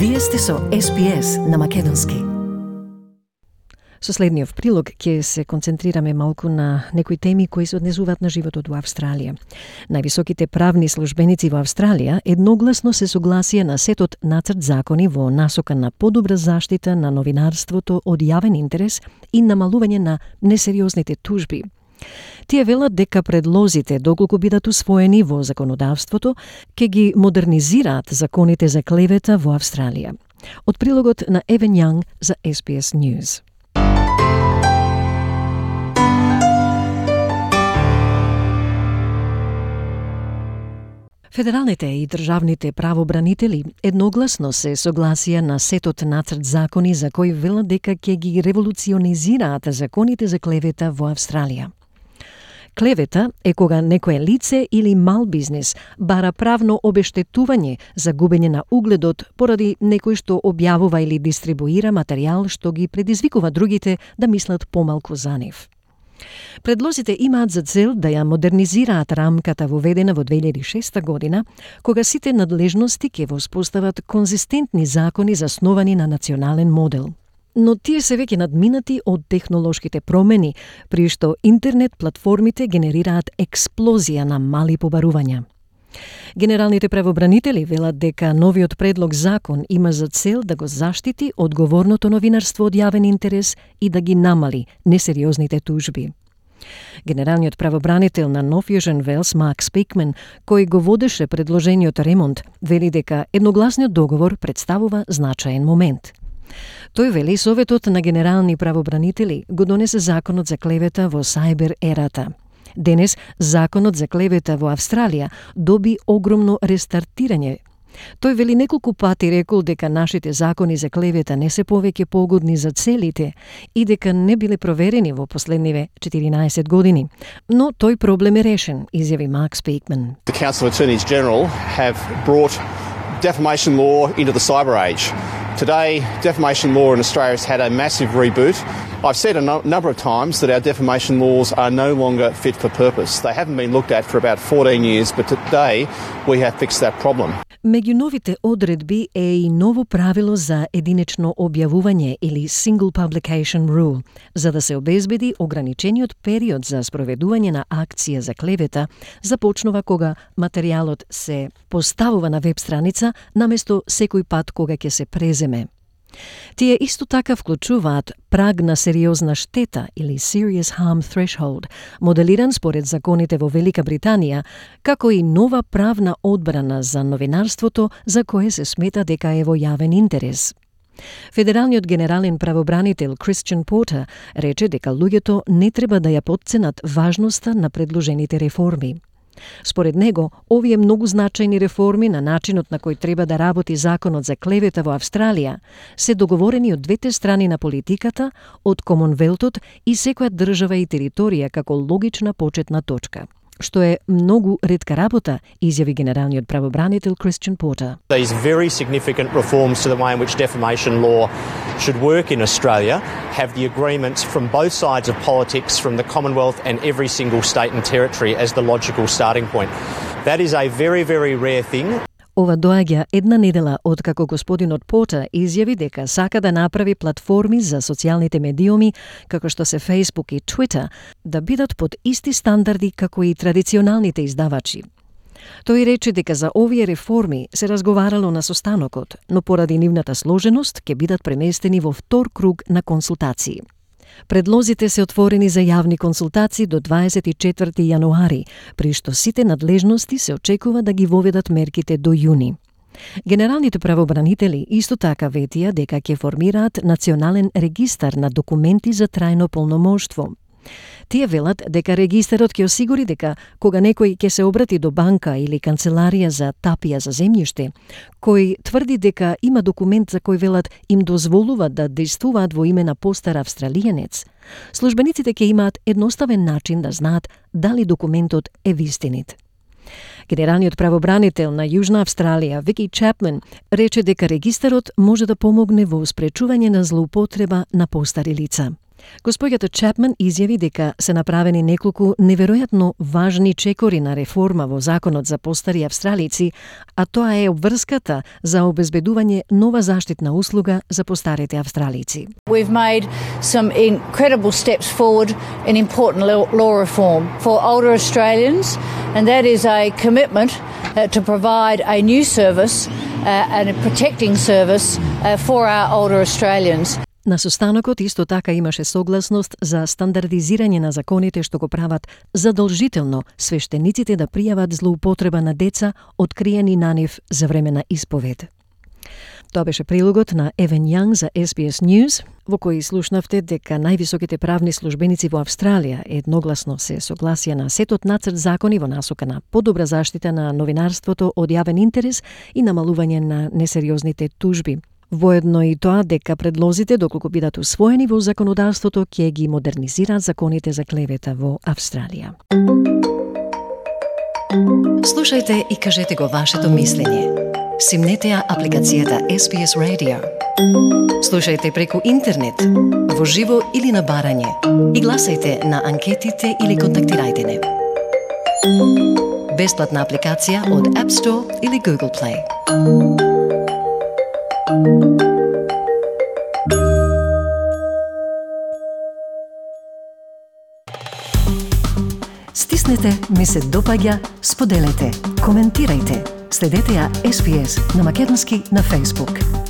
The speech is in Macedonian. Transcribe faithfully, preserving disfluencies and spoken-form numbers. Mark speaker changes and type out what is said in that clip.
Speaker 1: Вие сте со Ес Би Ес на Македонски. Со следниот прилог ќе се концентрираме малку на некои теми кои се однесуваат на животот во Австралија. Највисоките правни службеници во Австралија едногласно се согласија на сетот нацрт закони во насока на подобра заштита на новинарството од јавен интерес и намалување на несериозните тужби. Тие велат дека предлозите, доколку бидат усвоени во законодавството, ќе ги модернизираат законите за клевета во Австралија. Од прилогот на Евен Јанг за Ес Би Ес News. Федералните и државните правобранители едногласно се согласија на сетот нацрт закони за кои велат дека ќе ги револуционизираат законите за клевета во Австралија. Клевета е кога некое лице или мал бизнес бара правно обештетување за губење на угледот поради некој што објавува или дистрибуира материјал што ги предизвикува другите да мислат помалку за нив. Предлозите имаат за цел да ја модернизираат рамката воведена во две илјади и шеста година, кога сите надлежности ќе воспостават конзистентни закони засновани на национален модел. Но тие се веќе надминати од технолошките промени, при што интернет платформите генерираат експлозија на мали побарувања. Генералните правобранители велат дека новиот предлог закон има за цел да го заштити одговорното новинарство од јавен интерес и да ги намали несериозните тужби. Генералниот правобранител на Нов Јужен Велс, Марк Спикман, кој го водеше предложениот ремонт, вели дека едногласниот договор представува значаен момент. Тој вели Советот на генерални правобранители го донесе законот за клевета во сајбер ерата. Денес, законот за клевета во Австралија доби огромно рестартирање. Тој вели неколку пати рекол дека нашите закони за клевета не се повеќе погодни за целите и дека не биле проверени во последниве четиринаесет години. Но тој проблем е решен, изјави Марк Спикман.
Speaker 2: The Council of Attorneys General have brought defamation law into the cyber age. Today, defamation law in Australia has had a massive reboot. I've said a no- number of times that our defamation laws are no longer fit for purpose. They haven't been looked at for about fourteen years, but today we have fixed that problem.
Speaker 1: Меѓу новите одредби е и ново правило за единечно објавување или Single Publication Rule, за да се обезбеди ограничениот период за спроведување на акција за клевета започнува кога материјалот се поставува на веб страница наместо секој пат кога ќе се преземе. Тие исто така вклучуваат праг на сериозна штета или Serious Harm Threshold, моделиран според законите во Велика Британија, како и нова правна одбрана за новинарството за кое се смета дека е во јавен интерес. Федералниот генерален правобранител Кристијан Портер рече дека луѓето не треба да ја потценат важноста на предложените реформи. Според него, овие многу значајни реформи на начинот на кој треба да работи законот за клевета во Австралија се договорени од двете страни на политиката, од Комонвелтот и секоја држава и територија како логична почетна точка. Што е многу ретка работа, изјави генералниот правобранител Кристијан Портер.
Speaker 3: These very significant reforms to the way in which defamation law should work in Australia have the agreements from both sides of politics, from the Commonwealth and every single state and territory as the logical starting point. That is a very, very rare thing.
Speaker 1: Ова доаѓа една недела откако господинот Портер изјави дека сака да направи платформи за социјалните медиуми, како што се Facebook и Twitter, да бидат под исти стандарди како и традиционалните издавачи. Тој рече дека за овие реформи се разговарало на состанокот, но поради нивната сложеност ќе бидат преместени во втор круг на консултации. Предлозите се отворени за јавни консултации до дваесет и четврти јануари, при што сите надлежности се очекува да ги воведат мерките до јуни. Генералните правобранители исто така ветија дека ќе формираат национален регистар на документи за трајно полномоштво. Тие велат дека регистарот ќе осигури дека кога некој ќе се обрати до банка или канцеларија за тапија за земјиште, кој тврди дека има документ за кој велат им дозволува да действуваат во име на постар австралијанец, службениците ќе имаат едноставен начин да знаат дали документот е вистинит. Генералниот правобранител на Јужна Австралија, Вики Чапман, рече дека регистарот може да помогне во спречување на злоупотреба на постари лица. Госпоѓата Чапман изјави дека се направени неколку неверојатно важни чекори на реформа во законот за постари австралици, а тоа е обврската за обезбедување нова заштитна услуга за постарите австралици.
Speaker 4: We've made some incredible steps forward in important law reform for older Australians, and that is a commitment uh, to provide a new service uh, and a protecting service uh, for our older Australians.
Speaker 1: На состанокот исто така имаше согласност за стандардизирање на законите што го прават задолжително свештениците да пријават злоупотреба на деца откриени на нив за време на исповед. Тоа беше прилогот на Евен Јанг за Ес Би Ес News, во кој слушнавте дека највисоките правни службеници во Австралија едногласно се согласија на сетот нацрт закони во насока на подобра заштита на новинарството од јавен интерес и намалување на несериозните тужби. Воедно и тоа дека предлозите, доколку бидат усвоени во законодавството, ќе ги модернизираат законите за клевета во Австралија. Слушајте и кажете го вашето мислење. Симнете ја апликацијата Ес Би Ес Radio. Слушајте преку интернет, во живо или на барање. И гласајте на анкетите или контактирајте не. Бесплатна апликација од App Store или Google Play. Стиснете, ми се допаѓа, споделете, коментирајте. Следете ја Ес Би Ес на македонски на Facebook.